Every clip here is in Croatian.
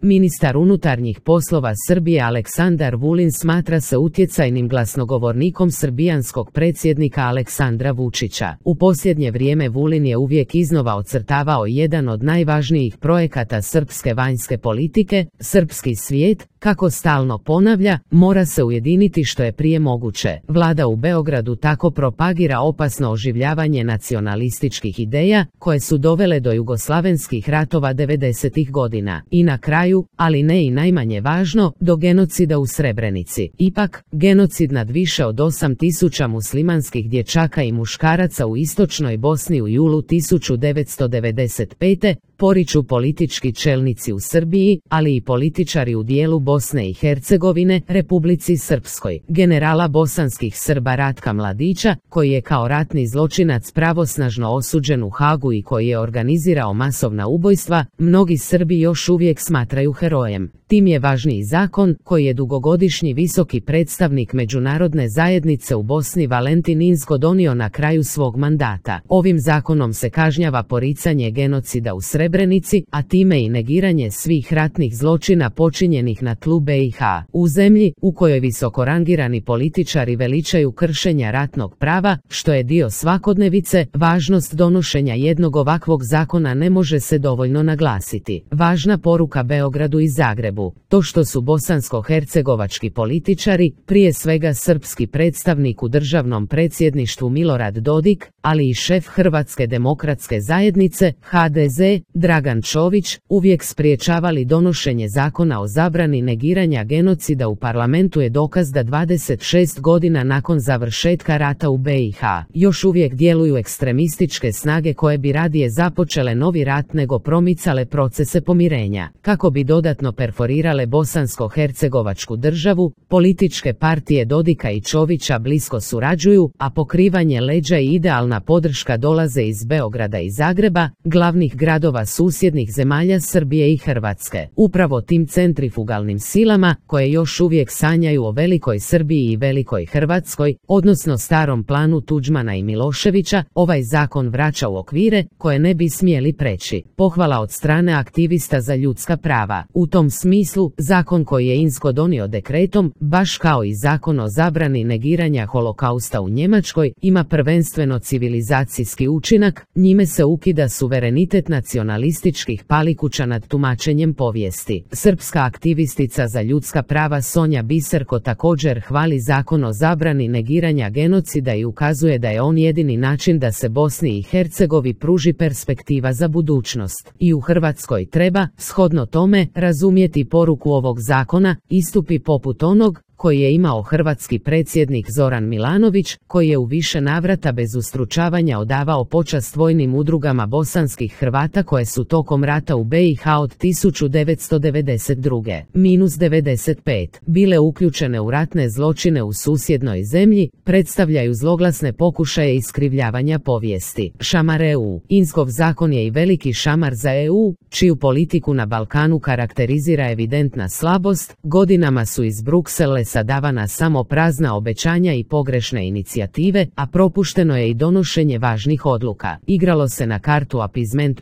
Ministar unutarnjih poslova Srbije Aleksandar Vulin smatra se utjecajnim glasnogovornikom srbijanskog predsjednika Aleksandra Vučića. U posljednje vrijeme Vulin je uvijek iznova ocrtavao jedan od najvažnijih projekata srpske vanjske politike, srpski svijet, kako stalno ponavlja, mora se ujediniti što je prije moguće. Vlada u Beogradu tako propagira opasno oživljavanje nacionalističkih ideja, koje su dovele do jugoslavenskih ratova 90-ih godina. I na kraju, ali ne i najmanje važno, do genocida u Srebrenici. Ipak, genocid nad više od 8.000 muslimanskih dječaka i muškaraca u istočnoj Bosni u julu 1995. poriču politički čelnici u Srbiji, ali i političari u dijelu Bosne i Hercegovine, Republici Srpskoj. Generala bosanskih Srba Ratka Mladića, koji je kao ratni zločinac pravosnažno osuđen u Hagu i koji je organizirao masovna ubojstva, mnogi Srbi još uvijek smatraju herojem. Tim je važniji zakon, koji je dugogodišnji visoki predstavnik međunarodne zajednice u Bosni Valentin Inzko donio na kraju svog mandata. Ovim zakonom se kažnjava poricanje genocida u Srebrenici, a time i negiranje svih ratnih zločina počinjenih na tlu BiH. U zemlji, u kojoj visokorangirani političari veličaju kršenja ratnog prava, što je dio svakodnevice, važnost donošenja jednog ovakvog zakona ne može se dovoljno naglasiti. Važna poruka Beogradu i Zagrebu. To što su bosansko-hercegovački političari, prije svega srpski predstavnik u državnom predsjedništvu Milorad Dodik, ali i šef Hrvatske demokratske zajednice, HDZ, Dragan Čović, uvijek spriječavali donošenje zakona o zabrani negiranja genocida u parlamentu je dokaz da 26 godina nakon završetka rata u BiH još uvijek djeluju ekstremističke snage koje bi radije započele novi rat nego promicale procese pomirenja. Kako bi dodatno perforirale bosansko-hercegovačku državu, političke partije Dodika i Čovića blisko surađuju, a pokrivanje leđa i idealna podrška dolaze iz Beograda i Zagreba, glavnih gradova susjednih zemalja Srbije i Hrvatske. Upravo tim centrifugalnim silama, koje još uvijek sanjaju o velikoj Srbiji i velikoj Hrvatskoj, odnosno starom planu Tuđmana i Miloševića, ovaj zakon vraća u okvire koje ne bi smjeli preći. Pohvala od strane aktivista za ljudska prava. U tom smislu, zakon koji je Inzko donio dekretom, baš kao i zakon o zabrani negiranja holokausta u Njemačkoj, ima prvenstveno civilizacijski učinak, njime se ukida suverenitet nacionalističkih palikuća nad tumačenjem povijesti. Srpska aktivistica za ljudska prava Sonja Biserko također hvali zakon o zabrani negiranja genocida i ukazuje da je on jedini način da se Bosni i Hercegovini pruži perspektiva za budućnost. I u Hrvatskoj treba, shodno tome, razumjeti poruku ovog zakona, istupi poput onog koji je imao hrvatski predsjednik Zoran Milanović, koji je u više navrata bez ustručavanja odavao počast vojnim udrugama bosanskih Hrvata koje su tokom rata u BiH od 1992-95 bile uključene u ratne zločine u susjednoj zemlji, predstavljaju zloglasne pokušaje iskrivljavanja povijesti. Šamar EU. Inzkov zakon je i veliki šamar za EU, čiju politiku na Balkanu karakterizira evidentna slabost, godinama su iz Bruksela davana samo prazna obećanja i pogrešne inicijative, a propušteno je i donošenje važnih odluka. Igralo se na kartu apizment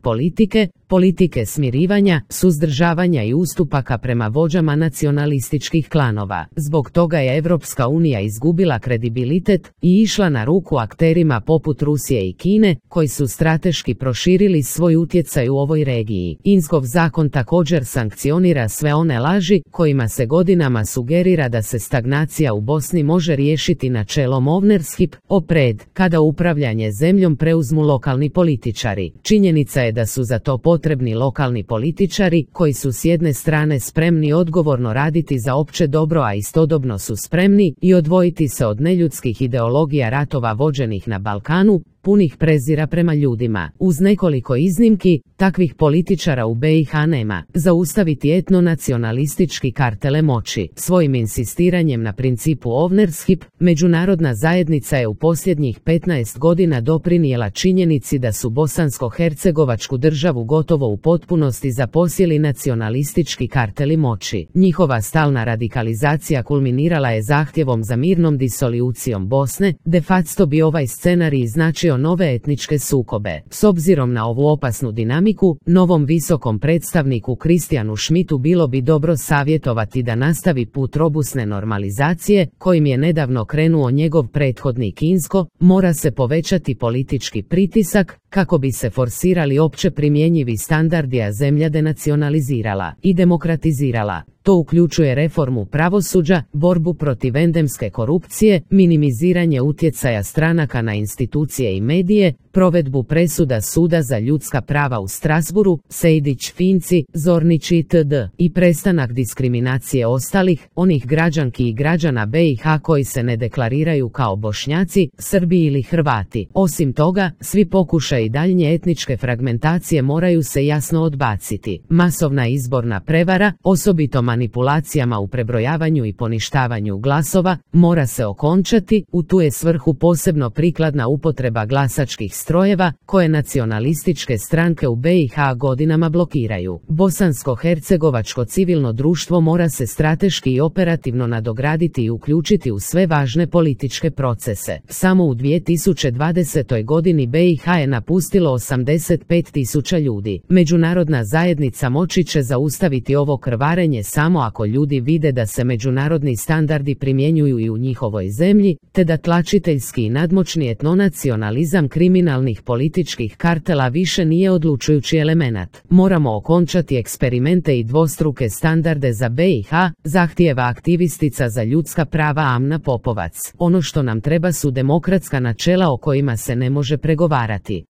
politike smirivanja, suzdržavanja i ustupaka prema vođama nacionalističkih klanova. Zbog toga je Evropska unija izgubila kredibilitet i išla na ruku akterima poput Rusije i Kine, koji su strateški proširili svoj utjecaj u ovoj regiji. Inzkov zakon također sankcionira sve one laži kojima se godinama sugerira da se stagnacija u Bosni može riješiti načelom ownership, opred, kada upravljanje zemljom preuzmu lokalni političari. Činjenica je da su za to potrebni lokalni političari, koji su s jedne strane spremni odgovorno raditi za opće dobro, a istodobno su spremni i odvojiti se od neljudskih ideologija ratova vođenih na Balkanu, punih prezira prema ljudima. Uz nekoliko iznimki, takvih političara u BiH nema. Zaustaviti etnonacionalistički kartele moći. Svojim insistiranjem na principu ownership, međunarodna zajednica je u posljednjih 15 godina doprinijela činjenici da su bosansko-hercegovačku državu gotovo gotovo u potpunosti zaposjeli nacionalistički karteli moći. Njihova stalna radikalizacija kulminirala je zahtjevom za mirnom disolucijom Bosne, de facto bi ovaj scenarij značio nove etničke sukobe. S obzirom na ovu opasnu dinamiku, novom visokom predstavniku Kristijanu Schmidtu bilo bi dobro savjetovati da nastavi put robusne normalizacije, kojim je nedavno krenuo njegov prethodnik Inzko. Mora se povećati politički pritisak, kako bi se forsirali opće primjenjivi standardi, a zemlja denacionalizirala i demokratizirala. To uključuje reformu pravosuđa, borbu protiv endemske korupcije, minimiziranje utjecaja stranaka na institucije i medije, provedbu presuda Suda za ljudska prava u Strasburu, Sejdić, Finci, Zornić itd. i prestanak diskriminacije ostalih, onih građanki i građana BiH koji se ne deklariraju kao Bošnjaci, Srbi ili Hrvati. Osim toga, svi pokušaji daljnje etničke fragmentacije moraju se jasno odbaciti. Masovna izborna prevara, osobito manipulacijama u prebrojavanju i poništavanju glasova, mora se okončati. U tu je svrhu posebno prikladna upotreba glasačkih strojeva, koje nacionalističke stranke u BiH godinama blokiraju. Bosansko-hercegovačko civilno društvo mora se strateški i operativno nadograditi i uključiti u sve važne političke procese. Samo u 2020. godini BiH je napustilo 85.000 ljudi. Međunarodna zajednica moći će zaustaviti ovo krvarenje samo ako ljudi vide da se međunarodni standardi primjenjuju i u njihovoj zemlji, te da tlačiteljski i nadmoćni etnonacionalizam kriminalnih političkih kartela više nije odlučujući elemenat. Moramo okončati eksperimente i dvostruke standarde za BiH, zahtijeva aktivistica za ljudska prava Amna Popovac. Ono što nam treba su demokratska načela o kojima se ne može pregovarati.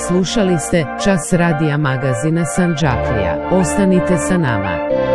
Slušali ste Čas radija magazina Sandžaklija. Ostanite sa nama.